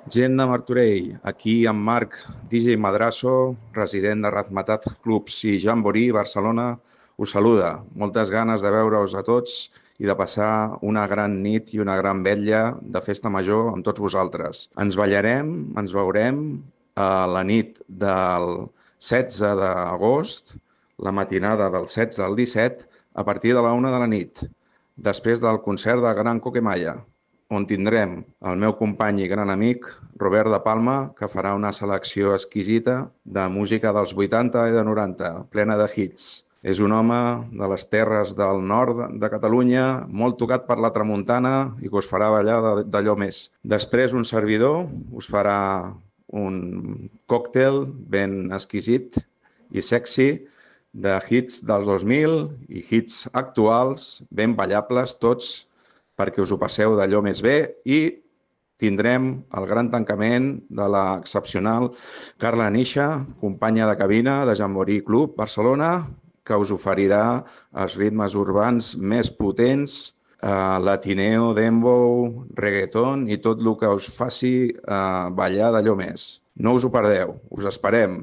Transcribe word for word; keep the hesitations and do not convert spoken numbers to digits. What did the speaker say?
Gent de Martorell, aquí en Marc, D J Madrasso, resident de Razmetat Clubs i Jamboree, Barcelona, us saluda. Moltes ganes de veure-us a tots i de passar una gran nit i una gran vetlla de festa major amb tots vosaltres. Ens ballarem, ens veurem a la nit del setze d'agost, la matinada del setze al disset, a partir de la una de la nit, després del concert de Gran Coquemaya, on tindrem el meu company i gran amic, Robert de Palma, que farà una selecció exquisita de música dels vuitanta i de noranta, plena de hits. És un home de les terres del nord de Catalunya, molt tocat per la tramuntana i que us farà ballar d'allò més. Després, un servidor us farà un còctel ben exquisit i sexy de hits dels dos mil i hits actuals, ben ballables tots, perquè us ho passeu d'allò més bé i tindrem el gran tancament de l'excepcional Carla Nisha, companya de cabina de Jamboree Club Barcelona, que us oferirà els ritmes urbans més potents, eh, latineo, dembow, reggaeton i tot el que us faci eh, ballar d'allò més. No us ho perdeu, us esperem.